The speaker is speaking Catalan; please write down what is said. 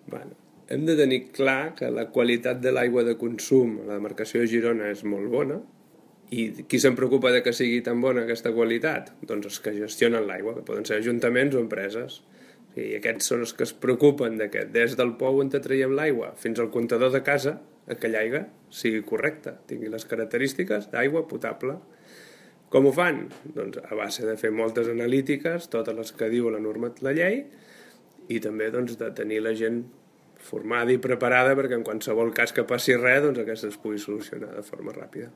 Bueno, hem de tenir clar que la qualitat de l'aigua de consum a la demarcació de Girona és molt bona. I qui se'n preocupa de que sigui tan bona aquesta qualitat? Doncs els que gestionen l'aigua, que poden ser ajuntaments o empreses. I aquests són els que es preocupen de que des del pou on te traiem l'aigua fins al comptador de casa aquella aigua sigui correcta, tingui les característiques d'aigua potable. Com ho fan? Doncs a base de fer moltes analítiques, totes les que diu la llei, i també doncs, de tenir la gent formada i preparada perquè en qualsevol cas que passi res, doncs aquesta es pugui solucionar de forma ràpida.